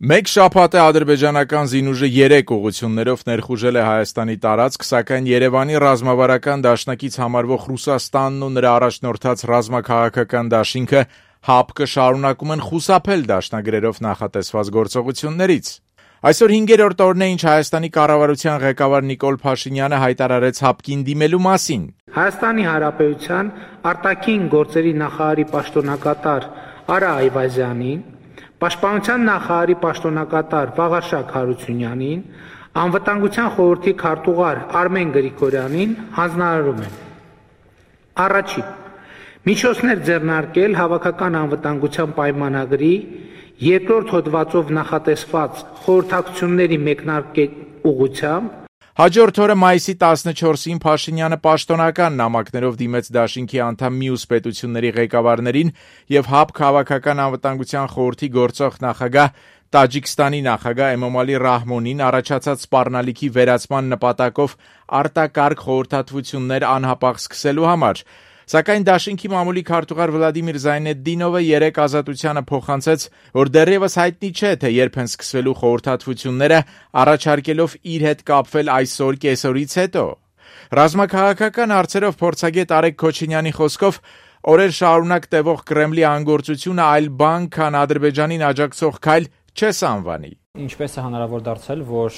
Մեկ շաբաթ է ադրբեջանական զինուժը 3 ուղղություններով ներխուժել է Հայաստանի տարածք, սակայն Երևանի ռազմավարական դաշնակից համարվող Ռուսաստանն ու նրա առաջնորդած ռազմաքաղաքական դաշինքը ՀԱՊԿ շարունակում են խուսափել դաշնագրերով նախատեսված գործողություններից։ Այսօր 5-րդ օրն է, ինչ Հայաստանի կառավարության ղեկավար Նիկոլ Փաշինյանը հայտարարեց ՀԱՊԿ-ին դիմելու մասին։ Հայաստանի Հանրապետության արտաքին գործերի նախարարի պաշտոնակատար Արա Այվազյանին, Պաշտպանության նախարարի պաշտոնակատար Վաղարշակ Հարությունյանին, Անվտանգության խորհրդի քարտուղար Արմեն Գրիգորյանին հանձնարարում են. Առաջին. միջոցներ ձեռնարկել հավաքական անվտանգության պայմանագրի երկրորդ հոդվածով նախատեսված խորհրդակցությունների մեկնարկել ուղղությամբ։ Հաջորդ օրը մայիսի 14-ին Փաշինյանը պաշտոնական նամակներով դիմեց դաշինքի անդամ մյուս պետությունների ղեկավարներին եւ ՀԱՊԿ հավաքական անվտանգության խորհրդի գործող նախագահ Տաջիկստանի նախագահ Էմոմալի Ռահմոնին առաջացած սպառնալիքի վերացման նպատակով արտակարգ խորհրդատվություններ անհապաղ սկսելու համար։ Սակայն դաշինքի մամուլի քարտուղար Վլադիմիր Զայնեդդինովը 3 ազատությանը փոխանցեց, որ դեռևս հայտնի չէ, թե երբ են սկսվելու խորհրդատվությունները, առաջարկելով իր հետ կապվել այսօր կեսօրից հետո։ Ռազմաքաղաքական հարցերով փորձագետ Արեգ Քոչինյանի խոսքով օրեր շարունակ տևող Կրեմլի անգործությունը այլ բան, քան Ադրբեջանին աջակցող քայլ չես անվանի։ Ինչպես է հնարավոր դարձել, որ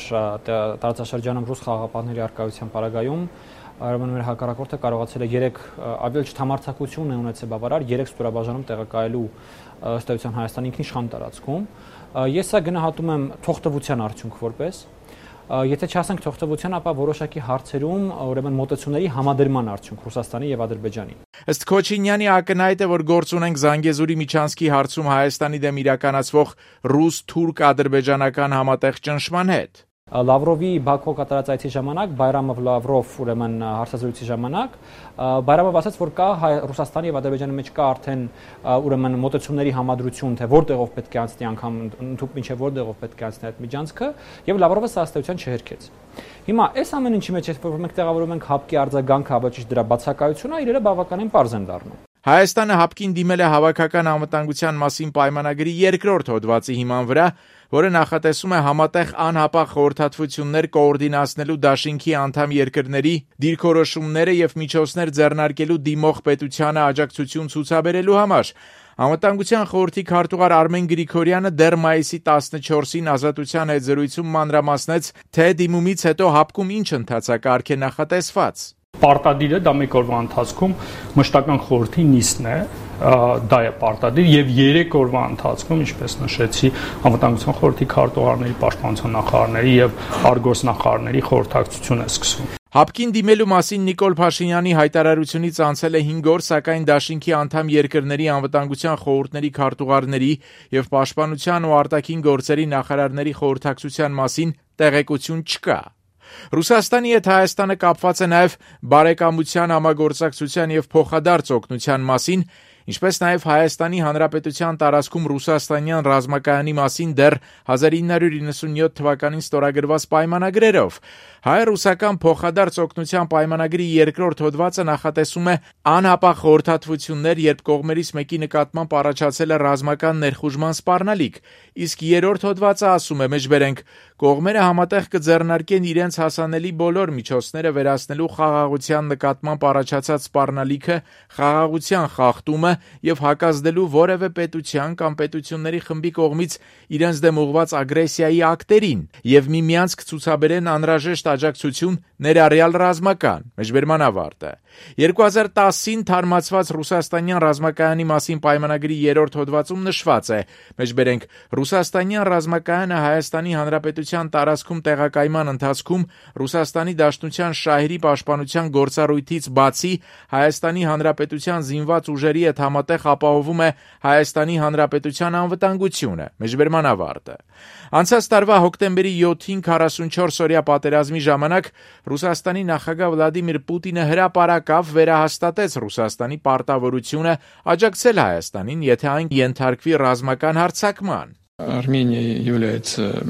տարածաշրջանում ռուս խաղաղապահների առկայության պարագայում մեր հակառակորդը կարողացել է 3 ավելի չթամարցակություն է ունեցել բավարար 3 ստորաբաժանում տեղակայելու ըստ էության Հայաստանի ինքնիշխան տարածքում։ Ես սա գնահատում եմ թողտվության արդյունք որպես, եթե չասենք թողտվության, ապա որոշակի հարցերում ուրեմն մոտեցումների համադրման արդյունք Ռուսաստանի եւ Ադրբեջանի։ Ըստ Քոչինյանի ակնհայտ է, որ գործ ունենք Զանգեզուրի միջանցքի հարցում Հայաստանի դեմ իրականացվող ռուս-թուրք-ադրբեջանական համատեղ ճնշման հետ։ Լավրովի Բաքու կատարած այցի ժամանակ Բայրամով Լավրով ուրեմն հարցազրույցի ժամանակ Բայրամով ասաց, որ կա Ռուսաստանի եւ Ադրբեջանի մեջ կա արդեն ուրեմն մոտեցումների համադրություն, թե որտեղով պետք է անցնի անգամ ընդհանուր մինչեւ որտեղով պետք է անցնի այդ միջանցքը, եւ Լավրովը սա ըստեյության չհերքեց։ Հիմա այս ամեն ինչի մեջ որ մենք տեղավորում ենք ՀԱՊԿ-ի արձագանքը, ոչ դրա բացակայությունը, իրերը բավականին պարզ են դառնում։ Հայաստանը ՀԱՊԿ-ին դիմել է հավաքական անվտանգության մասին պայմանագրի երկրորդ հոդվածի հիման վրա, որը նախատեսում է համատեղ անհապաղ խորհրդատվություններ կոորդինացնելու դաշինքի անդամ երկրների դիրքորոշումները եւ միջոցներ ձեռնարկելու դիմող պետությանը աջակցություն ցուցաբերելու համար։ Անվտանգության խորհրդի քարտուղար Արմեն Գրիգորյանը դեռ մայիսի 14-ին ազատության հետ զրույցում մանրամասնեց, թե դիմումից հետո ՀԱՊԿ-ում ինչ ընթացակարգ է նախատեսված։ Պարտադիրը դա մեկ օրվա ընթացքում մշտական խորհրդի նիստն է, դա է պարտադիր եւ 3 օրվա ընթացքում, ինչպես նշեցի, անվտանգության խորհրդի քարտուղարների, պաշտպանության նախարարների եւ արտգործնախարարների խորհրդակցություն է սկսվում։ ՀԱՊԿ-ին դիմելու մասին Նիկոլ Փաշինյանի հայտարարությունից անցել է 5 օր, սակայն դաշինքի անդամ երկրների անվտանգության խորհուրդների քարտուղարների եւ պաշտպանության ու արտաքին գործերի նախարարների խորհրդակցության մասին տեղեկություն չկա։ Ռուսաստանի հետ Հայաստանը կապված է նաև բարեկամության, համագործակցության եւ փոխադարձ օգնության մասին, ինչպես նաև Հայաստանի Հանրապետության տարածքում ռուսաստանյան ռազմակայանի մասին դեռ 1997 թվականին ստորագրված պայմանագրերով։ Հայ-ռուսական փոխադարձ օգնության պայմանագրի երկրորդ հոդվածը նախատեսում է անհապաղ խորհրդատվություններ, երբ կողմերից մեկի նկատմամբ առաջացել է ռազմական ներխուժման սպառնալիք, իսկ երրորդ հոդվածը ասում է, մեջբերենք, կողմերը համատեղ կձեռնարկեն իրենց հասանելի բոլոր միջոցները վերացնելու խաղաղության նկատմամբ առաջացած սպառնալիքը, խաղաղության խախտումը եւ հակազդելու որևէ պետության կամ պետությունների խմբի կողմից իրենց դեմ ուղղված ագրեսիայի ակտերին եւ միմյանց կցուցաբերեն անհրաժեշտ աջակցություն ներառյալ ռազմական։ Մեջբերման ավարտը։ 2010-ին թարմացված ռուսաստանյան ռազմակայանի մասին պայմանագրի երրորդ հոդվածում նշված է, մեջբերենք, ռուսաստանյան ռազմակայանը Հայաստանի Հանրապետության տարածքում տեղակայման ընթացքում Ռուսաստանի Դաշնության շահերի պաշտպանության գործառույթից բացի Հայաստանի Հանրապետության զինված ուժերի հետ համատեղ ապահովում է Հայաստանի Հանրապետության անվտանգությունը։ Մեջբերման ավարտը։ Անցած տարվա հոկտեմբերի 7-ին 44-օրյա պատերազմի ժամանակ Ռուսաստանի նախագահ Վլադիմիր Պուտինը հրապարակավ վերահաստատեց Ռուսաստանի պարտավորությունը աջակցել Հայաստանին, եթե այն ենթարկվի ռազմական հարձակման։ Армения является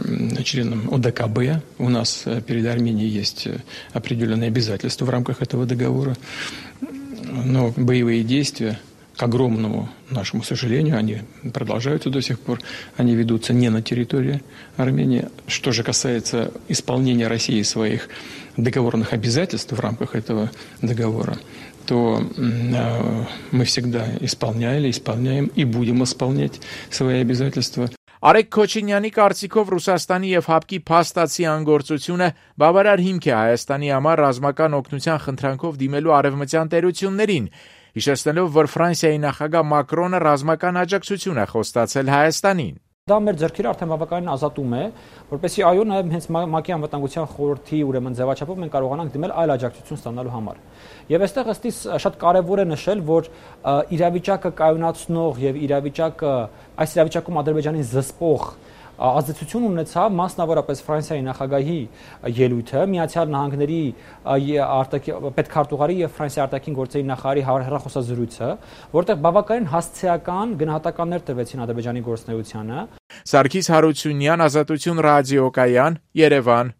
членом ОДКБ. У нас перед Арменией есть определенные обязательства в рамках этого договора. Но боевые действия К огромному нашему сожалению, они продолжаются до сих пор, они ведутся не на территории Армении. Что же касается исполнения России своих договорных обязательств в рамках этого договора, то мы всегда исполняли, исполняем и будем исполнять свои обязательства. Արեգ Քոչինյանի կարծիքով Ռուսաստանի եւ ՀԱՊԿ-ի փաստացի անգործությունը բավարար հիմք է Հայաստանի համար ռազմական օգնության խնդրանքով դիմելու արևմտյան տերություններին, հիշեցնելով, որ Ֆրանսիայի նախագահ Մակրոնը ռազմական աջակցություն է խոստացել Հայաստանին։ Դա մեր ձեռքերը արդեն բավականին ազատում է, որպեսզի այո, նաև հենց ՄԱԿ-ի անվտանգության խորհրդի ուրեմն ձևաչափով մենք կարողանանք դիմել այլ աջակցություն ստանալու համար։ Եվ այստեղ ըստիս շատ կարևոր է նշել, որ իրավիճակը կայունացնող եւ այս իրավիճակում Ադրբեջանին զսպող ազդեցություն ունեցավ մասնավորապես Ֆրանսիայի նախագահի ելույթը, Միացյալ Նահանգների պետքարտուղարի եւ Ֆրանսիայի արտաքին գործերի նախարարի հեռախոսազրույցը, որտեղ բավականին հասցեական գնահատականներ տվեցին Ադրբեջանի գործունեությանը։ Սարգիս Հարությունյան, Ազատություն ռադիոկայան, Երևան։